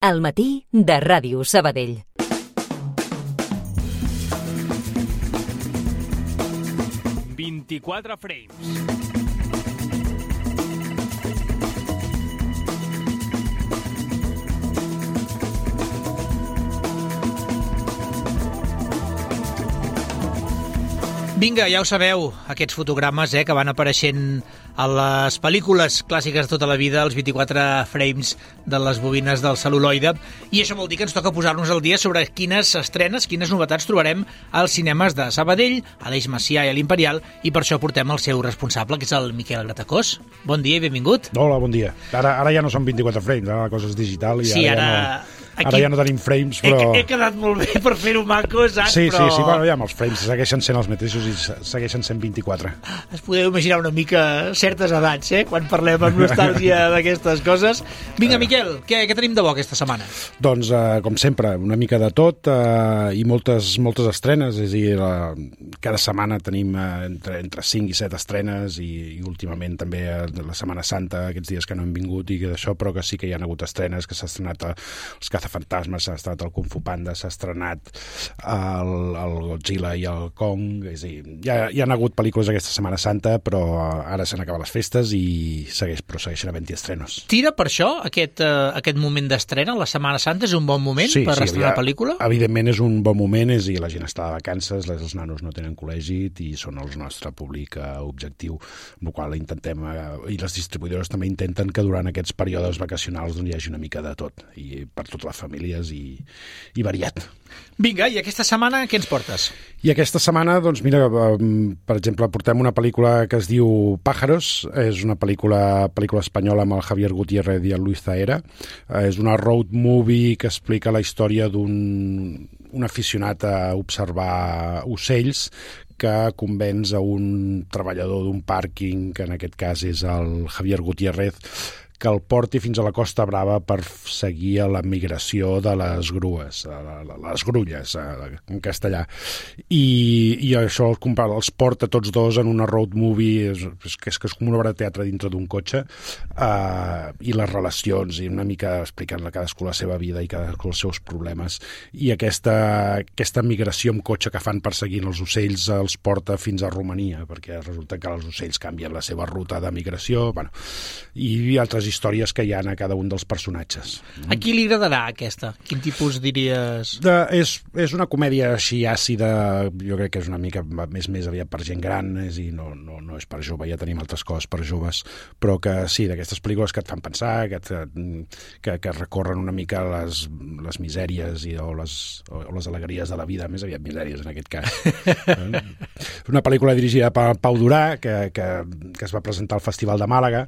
Al matí de Ràdio Sabadell. «24 frames». Vinga, ja ho sabeu, aquests fotogrames que van apareixent a les pel·lícules clàssiques de tota la vida, els 24 frames de les bobines del cel·luloide, i això vol dir que ens toca posar-nos al dia sobre quines estrenes, quines novetats trobarem als cinemes de Sabadell, a l'Eix Macià i a l'Imperial, i per això portem el seu responsable, que és el Miquel Gratacós. Bon dia i benvingut. Hola, bon dia. Ara ja no són 24 frames, ara la cosa és digital i sí, ara ja no tenim frames, però... He quedat molt bé per fer-ho maco, saps? Sí, però... sí, bueno, ja els frames segueixen sent els mateixos i segueixen sent 24. Es podeu imaginar una mica certes edats, quan parlem amb nostàlgia d'aquestes coses. Vinga, Miquel, què tenim de bo aquesta setmana? Doncs, com sempre, una mica de tot i moltes estrenes, és a dir, cada setmana tenim entre 5 i 7 estrenes i últimament també la Setmana Santa, aquests dies que no hem vingut i d'això, però que sí que hi ha hagut estrenes, que s'ha estrenat els Cazafantasmes, s'ha estrenat el Kung Fu Panda, s'ha estrenat el Godzilla i el Kong, és a dir, hi ha hagut pel·lícules aquesta Setmana Santa, però ara s'han acabat les festes i segueixen havent-hi estrenos. Tira per això aquest moment d'estrena? La Setmana Santa és un bon moment per estrenar pel·lícula? Evidentment és un bon moment, és a dir, la gent està de vacances, els nanos no tenen col·legi i són el nostre públic objectiu, amb el qual intentem, i les distribuïdores també intenten que durant aquests períodes vacacionals hi hagi una mica de tot, i per totes les famílies i variat. Vinga, i aquesta setmana què ens portes? I aquesta setmana, doncs mira, per exemple, portem una pel·lícula que es diu Pájaros, és una pel·lícula espanyola amb el Javier Gutiérrez i el Luis Zahera. És una road movie que explica la història d'un aficionat a observar ocells que convenç a un treballador d'un pàrquing, que en aquest cas és el Javier Gutiérrez, que el porti fins a la Costa Brava per seguir la migració de les grues, les grulles, en castellà. I això els porta tots dos en una road movie, que és com una obra de teatre dintre d'un cotxe, i les relacions, i una mica explicant cadascú la seva vida i cadascú els seus problemes. I aquesta migració amb cotxe que fan perseguint els ocells els porta fins a Romania, perquè resulta que els ocells canvien la seva ruta de migració, i altres històries que hi ha a cada un dels personatges. A qui li agradarà aquesta? Quin tipus diries? És una comèdia així àcida, jo crec que és una mica més aviat per gent gran, no és per jove, ja tenim altres coses per joves, però que sí, d'aquestes pel·lícules que et fan pensar, que recorren una mica les misèries o les alegries de la vida, més aviat misèries en aquest cas. Una pel·lícula dirigida per Pau Durà, que es va presentar al Festival de Màlaga.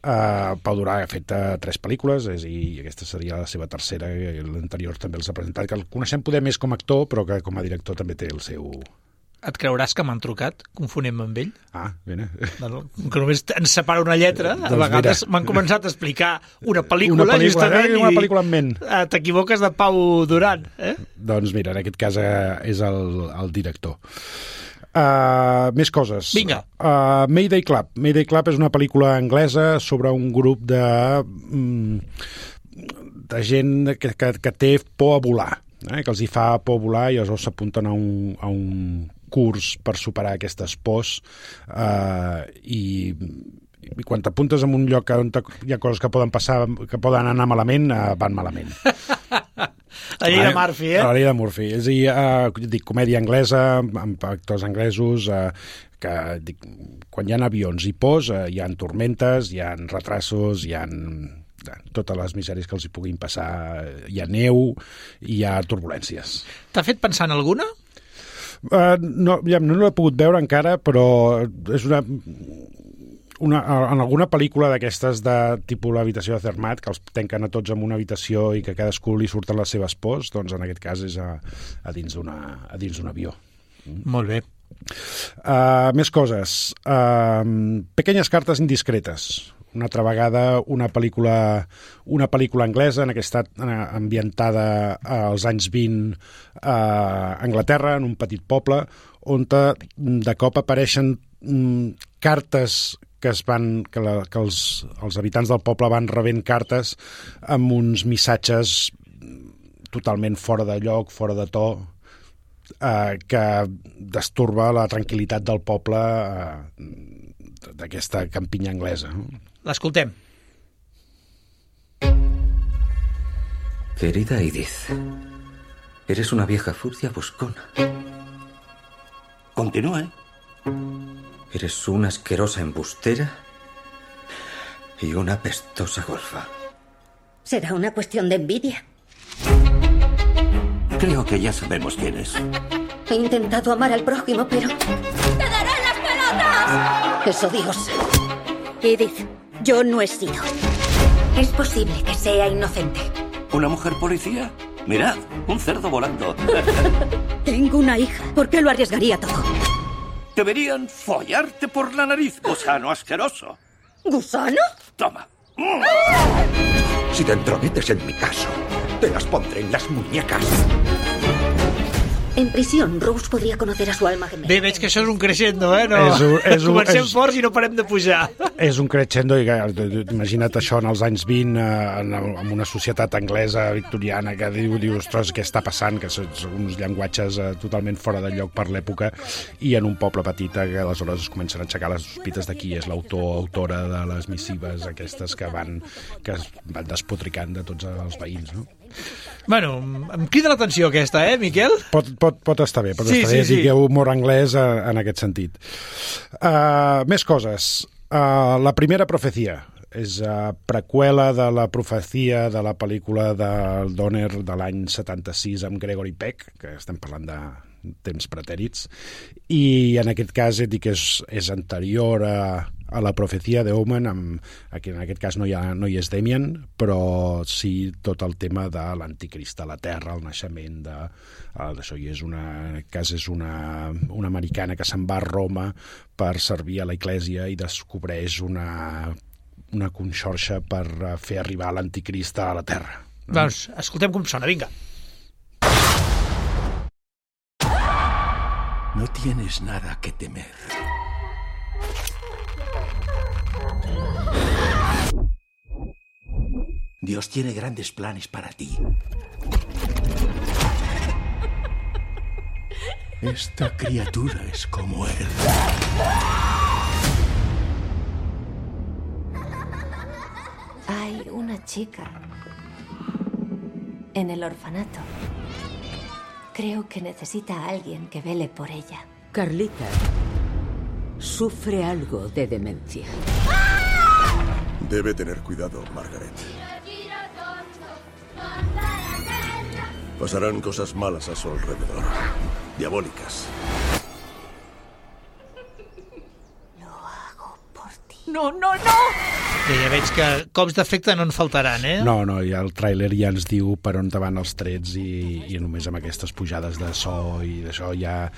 Pau Durà ha fet 3 pel·lícules, i aquesta seria la seva tercera, l'anterior també els ha presentat, que el coneixem poder més com a actor, però que com a director també té el seu... Et creuràs que m'han trucat? Confonem amb ell? Bene. Que només ens separa una lletra. A vegades m'han començat a explicar una pel·lícula justament, una pel·lícula en ment. T'equivoques de Pau Duran, Doncs mira, en aquest cas és el director. Més coses. Vinga. Mayday Club. Mayday Club és una pel·lícula anglesa sobre un grup de gent que té por a volar, que els hi fa por volar i aleshores s'apunten a un curs per superar aquestes pors, i quan t'apuntes en un lloc on hi ha coses que poden passar, que poden anar malament, van malament. La llei de Murphy, La llei de Murphy. És a dir, comèdia anglesa, amb actors anglesos, que quan hi ha avions i pors, hi ha tormentes, hi ha retrasos, hi ha totes les misèries que els hi puguin passar, hi ha neu, hi ha turbulències. T'ha fet pensar en alguna? No l'he pogut veure encara, però és en alguna pel·lícula d'aquestes de tipus l'habitació de Zermatt, que els tanquen a tots en una habitació i que a cadascú li surten les seves pors, doncs en aquest cas és a dins d'un avió. Molt bé. Més coses. Pequeñas cartes indiscretes. Una altra vegada una pel·lícula anglesa, en aquesta ambientada als anys 20 a Anglaterra, en un petit poble, on de cop apareixen cartes que els habitants del poble van rebent cartes amb uns missatges totalment fora de lloc, fora de to, que destorba la tranquil·litat del poble d'aquesta campinya anglesa. L'escoltem. Querida Edith, eres una vieja furcia buscona. Continúe. Eres una asquerosa embustera y una pestosa golfa. ¿Será una cuestión de envidia? Creo que ya sabemos quién es. He intentado amar al prójimo, pero... ¡Te daré las pelotas! Es odiosa. Edith, yo no he sido. Es posible que sea inocente. ¿Una mujer policía? Mirad, un cerdo volando. Tengo una hija. ¿Por qué lo arriesgaría todo? Deberían follarte por la nariz, gusano asqueroso. ¿Gusano? Toma. Si te entrometes en mi caso, te las pondré en las muñecas. En prisión, Rose podria conocer a su alma gemela. Bé, veig que això és un crescendo, eh? No. Comencem forts i no parem de pujar. És un crescendo, i imagina't això en els anys 20, en una societat anglesa victoriana que diu, ostres, què està passant? Que són uns llenguatges totalment fora de lloc per l'època, i en un poble petit que aleshores es comencen a aixecar les sospites de qui és autora de les missives aquestes que van despotricant de tots els veïns, no? Bueno, em crida l'atenció aquesta, Miquel? Pot estar bé, sí. Digueu humor anglès en aquest sentit. Més coses. La primera profecia és preqüela de la profecia de la pel·lícula del Donner de l'any 76 amb Gregory Peck, que estem parlant de temps pretèrits, i en aquest cas dic que és anterior a la profecia d'Omen, aquí en aquest cas no hi és Damien, però sí tot el tema de l'anticrist a la Terra, el naixement d'això, i en aquest cas és una americana que se'n va a Roma per servir a la Església i descobreix una conxorxa per fer arribar l'anticrist a la Terra. Doncs escoltem com sona, vinga. No tienes nada que temer. Dios tiene grandes planes para ti. Esta criatura es como él. Hay una chica en el orfanato. Creo que necesita a alguien que vele por ella. Carlita sufre algo de demencia. Debe tener cuidado, Margaret. Pasarán cosas malas a su alrededor. Diabólicas. Lo hago por ti. No! Ja veig que cops d'efecte no en faltaran, No, ja el tràiler ja ens diu per on van els trets i només amb aquestes pujades de so i d'això ja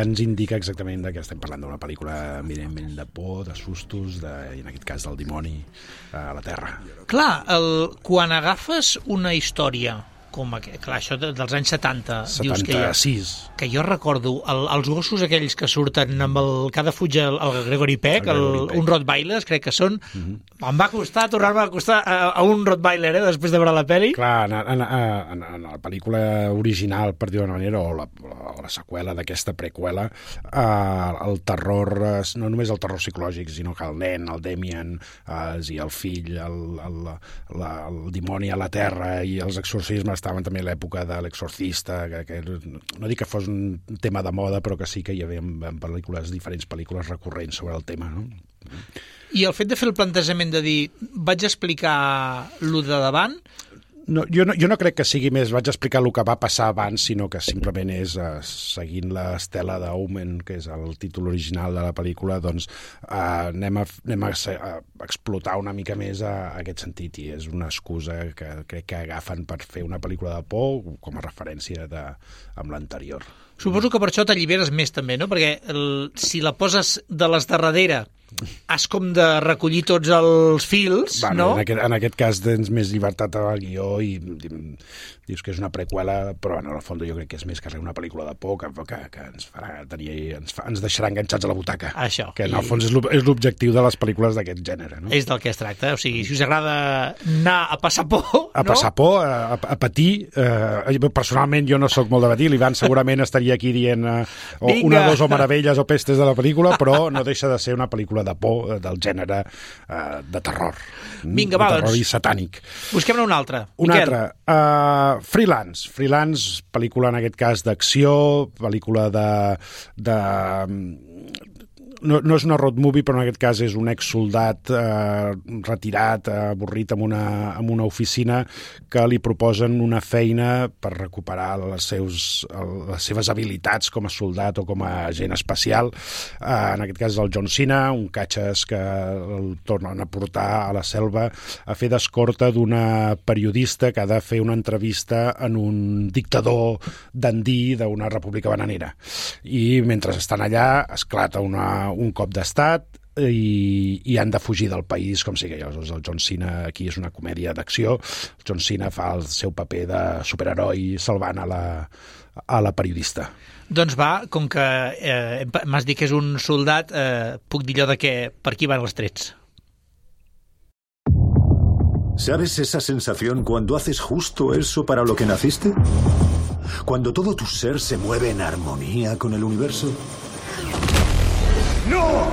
ens indica exactament que estem parlant d'una pel·lícula eminentment de por, de sustos, i en aquest cas del dimoni a la Terra. Clar, quan agafes una història com clar, això dels anys 70 dius 76 que jo recordo els gossos aquells que surten amb cada fuig el Gregory Peck, un Rottweiler crec que són, em va costar tornar-me a acostar a un Rottweiler després de veure la pel·li. Clar, en la pel·lícula original, per dir-ho d'una manera, o la seqüela d'aquesta preqüela, el terror, no només el terror psicològic, sinó que el nen, el Damien i el fill, el dimoni a la Terra i els exorcismes estaven també a l'època de l'exorcista, que no dic que fos un tema de moda, però que sí que hi havia diferents pel·lícules recurrents sobre el tema, no? I el fet de fer el plantejament de dir vaig explicar lo de davant... No, jo no crec que sigui més vaig explicar el que va passar abans, sinó que simplement és seguint l'estela d'Omen, que és el títol original de la pel·lícula, doncs anem a explotar una mica més aquest sentit, i és una excusa que crec que agafen per fer una pel·lícula de por com a referència amb l'anterior. Suposo que per això t'alliberes més també, no? Perquè si la poses de les darrere has com de recollir tots els fils, bueno, no? En aquest cas tens més llibertat al guió i dius que és una preqüela, però en el fons jo crec que és més que una pel·lícula de por que ens farà tenir, ens deixarà enganxats a la butaca. Això. Que en el fons és l'objectiu de les pel·lícules d'aquest gènere. No? És del que es tracta. O sigui, si us agrada anar a passar por... A passar por, a patir. Personalment jo no sóc molt de patir. L'Ivan segurament estaria aquí dient una, dos o meravelles o pestes de la pel·lícula, però no deixa de ser una pel·lícula de por del gènere de terror. Vinga, va, terror doncs. I satànic. Busquem-ne una altra. Una altra. Freelance, pel·lícula en aquest cas d'acció, pel·lícula de no és una road movie, però en aquest cas és un exsoldat retirat, avorrit en una oficina que li proposen una feina per recuperar les seves habilitats com a soldat o com a agent espacial. En aquest cas és el John Cena, un catxes que el tornen a portar a la selva a fer d'escorta d'una periodista que ha de fer una entrevista en un dictador dandí d'una república bananera. I mentre estan allà esclata un cop d'estat i han de fugir del país, com sigui. El John Cena aquí és una comèdia d'acció. El John Cena fa el seu paper de superheroi salvant a la periodista. Doncs va, com que m'has dit que és un soldat, puc dir allò de que per aquí van els trets. ¿Sabes esa sensación cuando haces justo eso para lo que naciste? Cuando todo tu ser se mueve en armonía con el universo. ¡No!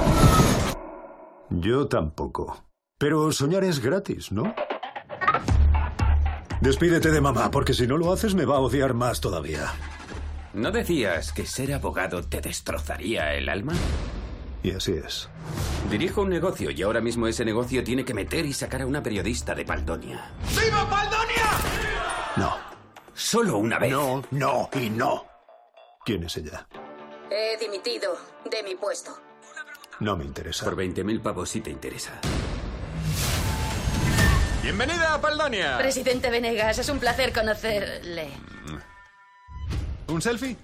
Yo tampoco. Pero soñar es gratis, ¿no? Despídete de mamá, porque si no lo haces me va a odiar más todavía. ¿No decías que ser abogado te destrozaría el alma? Y así es. Dirijo un negocio y ahora mismo ese negocio tiene que meter y sacar a una periodista de Paldonia. ¡Viva Paldonia! No. Solo una vez. No, no y no. ¿Quién es ella? He dimitido de mi puesto. No me interesa. Por 20.000 pavos sí te interesa. ¡Bienvenida a Paldonia! Presidente Venegas, es un placer conocerle. ¿Un selfie?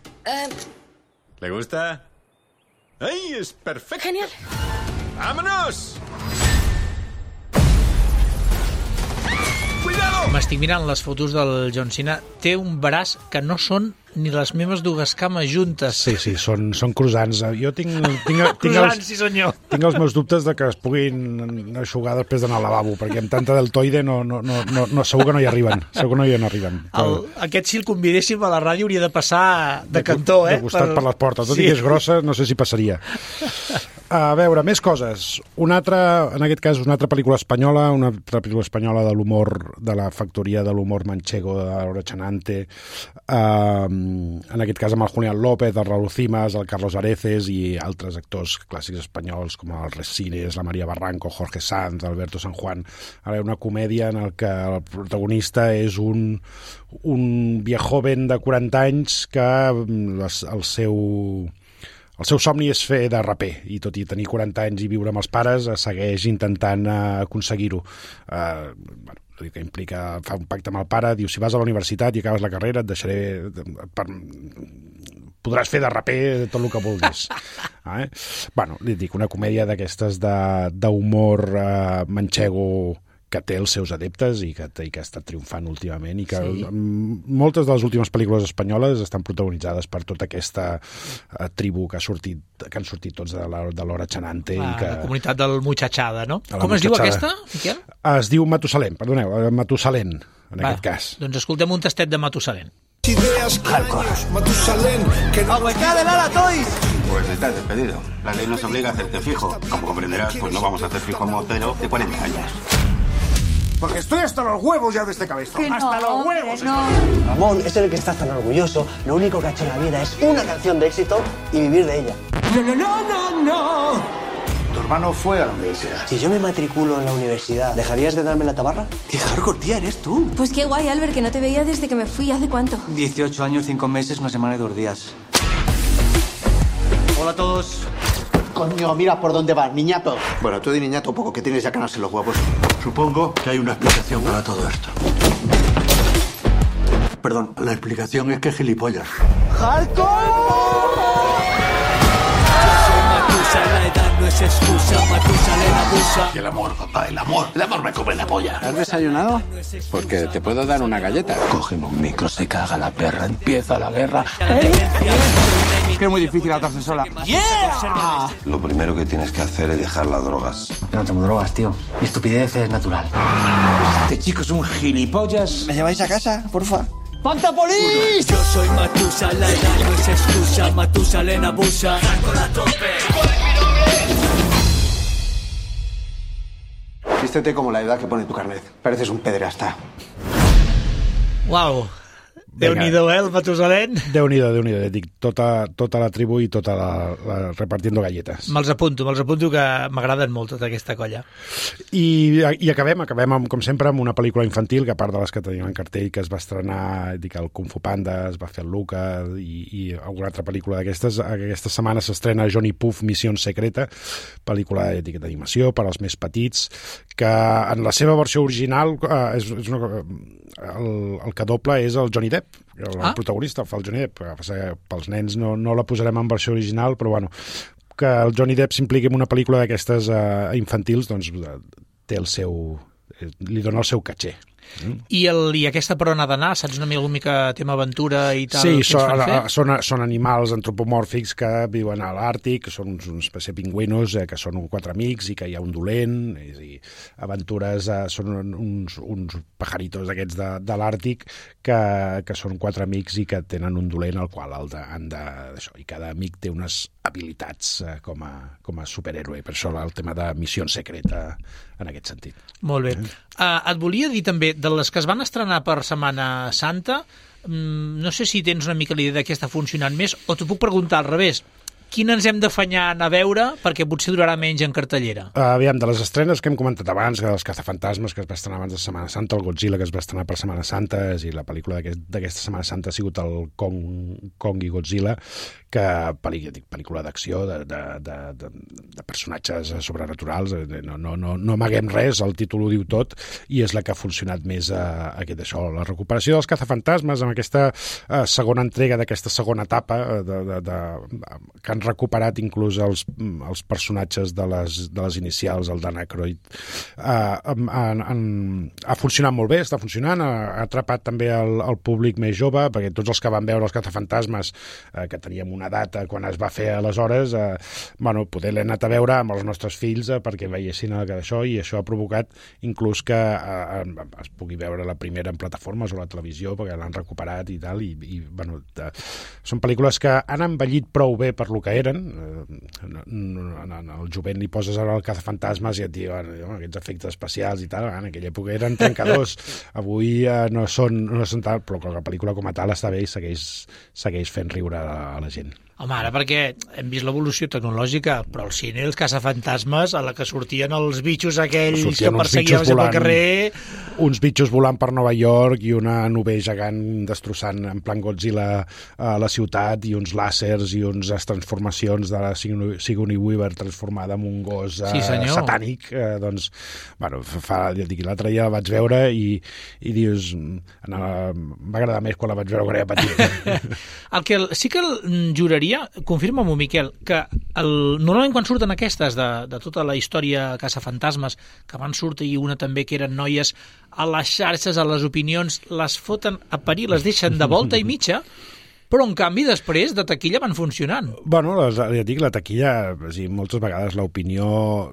¿Le gusta? ¡Ay, es perfecto! Genial. ¡Vámonos! ¡Cuidado! M'estic mirant les fotos del John Cena. Té un braç que no són ni les meves dues cames juntes. Sí, són croissants. Jo tinc croissants, sí senyor. Tinc els meus dubtes de que es puguin eixugar després d'anar al lavabo, perquè amb tanta deltoide no, segur que no hi arriben. Segur que no hi arriben. Aquest, si el convidéssim a la ràdio, hauria de passar de cantó, de costat per les portes. Tot i que és grossa, no sé si passaria. A veure, més coses. En aquest cas, una altra pel·lícula espanyola, de l'humor, de la factoria de l'humor manchego de Laura Chanante, en aquest cas amb el Julián López, el Raúl Cimas, el Carlos Areces i altres actors clàssics espanyols com el Resines, la María Barranco, Jorge Sanz, Alberto San Juan. Ara, una comèdia en què el protagonista és un viejoven de 40 anys que el seu somni és fer de raper i tot i tenir 40 anys i viure amb els pares segueix intentant aconseguir-ho. Que implica, fa un pacte amb el pare, diu, si vas a la universitat i acabes la carrera et deixaré podràs fer de raper tot el que vulguis. Bueno, li dic, una comèdia d'aquestes d'humor manchego que té els seus adeptes i que ha estat triomfant últimament i que moltes de les últimes pel·lícules espanyoles estan protagonitzades per tota aquesta tribu que han sortit tots de Laura Chanante. La comunitat del Muchachada, no? Com es diu aquesta, Miquel? Es diu Matusalén, perdoneu, Matusalén, en aquest cas. Doncs escoltem un tastet de Matusalén. Ideas, años, Matusalén, que no... ¡Aguacá de Lara Toys! Pues estás despedido. La ley nos obliga a hacerte fijo. Como comprenderás, pues no vamos a hacer fijo a un motero de 40 años. Porque estoy hasta los huevos ya de este cabezón. ¡Hasta los huevos! Ramón es el que está tan orgulloso. Lo único que ha hecho en la vida es una canción de éxito y vivir de ella. ¡No! Tu hermano fue a la universidad. Si yo me matriculo en la universidad, ¿dejarías de darme la tabarra? ¡Qué hardcore, tía, eres tú! Pues qué guay, Albert, que no te veía desde que me fui. ¿Hace cuánto? 18 años, 5 meses, una semana y 2 días. Hola a todos. Coño, mira por dónde vas, niñato. Bueno, tú di niñato poco, que tienes ya canas en los huevos. Supongo que hay una explicación para todo esto. Perdón, la explicación es que ¡Hardcore! es excusa, Matusalén abusa. Y el amor, papá, el amor me come la polla. ¿Has desayunado? Porque te puedo dar una galleta. Cógeme un micro, se caga la perra, empieza la guerra. Es que es muy difícil atarse sola. ¡Yeah! Lo primero que tienes que hacer es dejar las drogas. Yo no tomo drogas, tío. Mi estupidez es natural. Este chico es un gilipollas. ¿Me lleváis a casa, porfa? ¡Panta Polis! Yo soy Matusalén, no es excusa, Matusalén abusa. Con la tope. Vístete como la edad que pone tu carnet. Pareces un pederasta. Uau! Déu-n'hi-do, el Matusalén. Déu-n'hi-do, et dic, tota la tribu i tota la repartiendo galletes. Me'ls apunto, que m'agraden molt tota aquesta colla. I acabem amb, com sempre, amb una pel·lícula infantil, que a part de les que tenim en cartell, que es va estrenar, dic, el Kung Fu Panda, es va fer el Luca i alguna altra pel·lícula d'aquestes. Aquesta setmana s'estrena Johnny Puff, Missió Secreta, pel·lícula d'animació per als més petits, que en la seva versió original el que doble és el Johnny Depp, el protagonista, el fa el Johnny Depp. Pels nens no la posarem en versió original, però bueno, que el Johnny Depp s'impliqui en una pel·lícula d'aquestes infantils, doncs té li dona el seu caché. I aquesta per on ha d'anar? Saps una mica tema aventura i tal? Sí, són animals antropomòrfics que viuen a l'Àrtic, són una espècie de pingüinos que són 4 amics i que hi ha un dolent, és a dir, aventures, són uns pajaritos d'aquests de l'Àrtic que són 4 amics i que tenen un dolent al qual han de... I cada amic té unes habilitats com a superhéroe, per això el tema de Missió Secreta en aquest sentit. Molt bé. Et volia dir també, de les que es van estrenar per Setmana Santa, no sé si tens una mica l'idea de què està funcionant més, o t'ho puc preguntar al revés. Quina ens hem d'afanyar a veure perquè potser durarà menys en cartellera? Aviam, de les estrenes que hem comentat abans, que els Cazafantasmes, que es va estrenar abans de Setmana Santa, el Godzilla, que es va estrenar per Setmana Santa, i la pel·lícula d'aquesta Setmana Santa ha sigut el Kong i Godzilla, que pel·lícula d'acció, de personatges sobrenaturals, no amaguem res, el títol ho diu tot, i és la que ha funcionat més això. La recuperació dels Cazafantasmes, amb aquesta segona entrega d'aquesta segona etapa, que han recuperat inclús els personatges de les inicials, el Dan Aykroyd, ha funcionat molt bé, està funcionant, ha atrapat també el públic més jove, perquè tots els que van veure els Cazafantasmes, que teníem una data quan es va fer aleshores, poder l'he anat a veure amb els nostres fills perquè veiessin això, i això ha provocat inclús que es pugui veure la primera en plataformes o la televisió, perquè l'han recuperat i tal, són pel·lícules que han envellit prou bé per lo que eren. Al jovent li poses ara el Cazafantasmes i et diu aquests efectes especials i tal, en aquella època eren trencadors, avui no són tal, però la pel·lícula com a tal està bé i segueix fent riure a la gent. Home, ara perquè hem vist l'evolució tecnològica, però al cine els Cazafantasmes, a la que sortien els bitxos aquells que perseguien pel carrer... Uns bitxos volant per Nova York i una nube gegant destrossant en plan Godzilla a la ciutat, i uns làsers i unes transformacions de la Sigourney Weaver transformada en un gos satànic. L'altre dia la vaig veure i dius... va agradar més quan la vaig veure quan era petit. El que sí que juraria, confirma-m'ho, Miquel, que normalment quan surten aquestes de tota la història Cazafantasmes, que van sortir una també que eren noies, a les xarxes, a les opinions, les foten a parir, les deixen de volta i mitja, però en canvi després de taquilla van funcionant. Ja dic, la taquilla, moltes vegades l'opinió...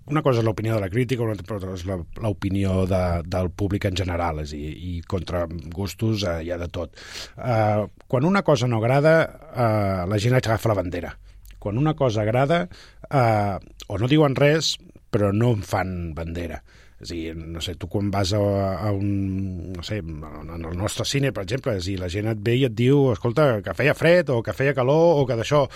Una cosa és l'opinió de la crítica, una altra és l'opinió del públic en general, i contra gustos hi ha de tot. Quan una cosa no agrada, la gent agafa la bandera. Quan una cosa agrada, o no diuen res, però no en fan bandera. És a dir, no sé, tu quan vas a un... no sé, en el nostre cine, per exemple, la gent et ve i et diu, escolta, que feia fred o que feia calor o que d'això,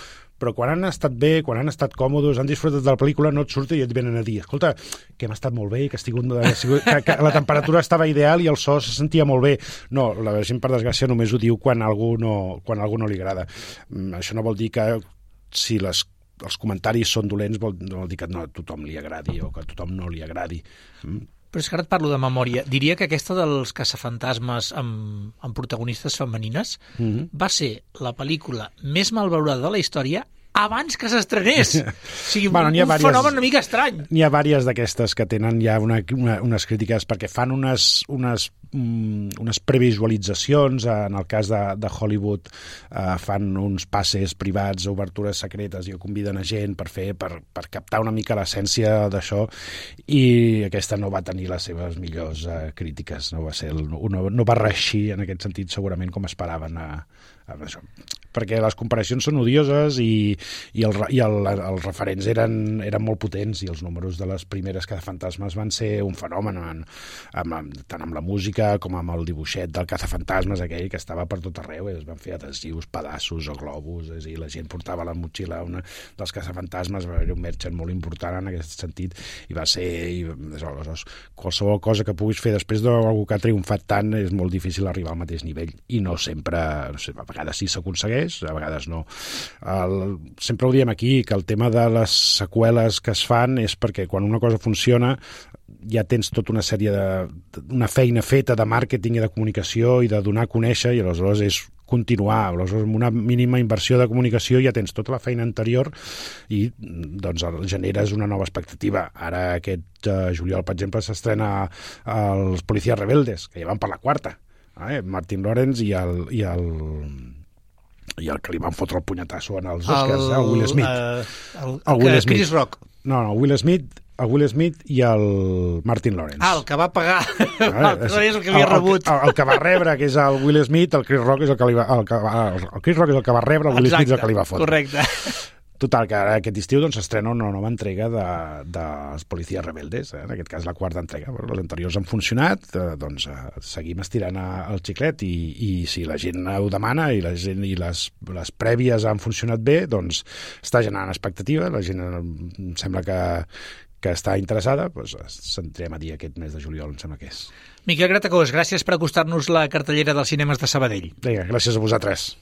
però quan han estat bé, quan han estat còmodes, han disfrutat de la pel·lícula, no et surt i et venen a dir, escolta, que hem estat molt bé, que la temperatura estava ideal i el so se sentia molt bé. No, la gent, per desgràcia, només ho diu quan a algú no li agrada. Això no vol dir que si els comentaris són dolents, vol dir que a tothom li agradi o que a tothom no li agradi. Però és que ara et parlo de memòria. Diria que aquesta dels Cazafantasmes amb protagonistes femenines va ser la pel·lícula més malvalorada de la història abans que s'estrenés. O sigui, un fenomen una mica estrany. N'hi ha diverses d'aquestes que tenen ja unes crítiques perquè fan unes previsualitzacions, en el cas de Hollywood fan uns passes privats, obertures secretes i conviden a gent per captar una mica l'essència d'això, i aquesta no va tenir les seves millors crítiques, no va reeixir en aquest sentit segurament com esperaven això. Perquè les comparacions són odioses i els referents eren molt potents, i els números de les primeres Cazafantasmes van ser un fenomen, tant amb la música com amb el dibuixet del Cazafantasmes aquell que estava per tot arreu, es van fer adhesius, pedaços o globus, i la gent portava a la motxilla una dels Cazafantasmes, va haver un merchant molt important en aquest sentit, i va ser qualsevol cosa que puguis fer després d'algú que ha triomfat tant és molt difícil arribar al mateix nivell, i no sempre, a vegades sí s'aconsegueix, a vegades no. Sempre ho diem aquí, que el tema de les seqüeles que es fan és perquè quan una cosa funciona ja tens tota una sèrie una feina feta de màrqueting i de comunicació i de donar a conèixer, i aleshores és continuar, aleshores amb una mínima inversió de comunicació ja tens tota la feina anterior i doncs generes una nova expectativa. Ara aquest juliol, per exemple, s'estrena Els Policías Rebeldes, que ja van per la 4ª. Martin Lawrence i el que li van fotre el punyetasso en els Oscars, el Will Smith. El Chris Rock. No, Will Smith i el Martin Lawrence. El que va pagar, és el que havia rebut. El que va rebre, que és el Will Smith, el Chris Rock és el que li va... El Chris Rock és el que va rebre, el Will Smith és el que li va fotre. Correcte. Total, que ara aquest estiu s'estrena una nova entrega dels Policías Rebeldes, en aquest cas la 4ª entrega. Les anteriors han funcionat, doncs seguim estirant el xiclet, i si la gent ho demana i les prèvies han funcionat bé, doncs està generant expectativa, la gent em sembla que està interessada, doncs s'entrem a dir aquest mes de juliol, em sembla que és. Miquel Gratacós, gràcies per acostar-nos la cartellera dels cinemes de Sabadell. Vinga, gràcies a vosaltres.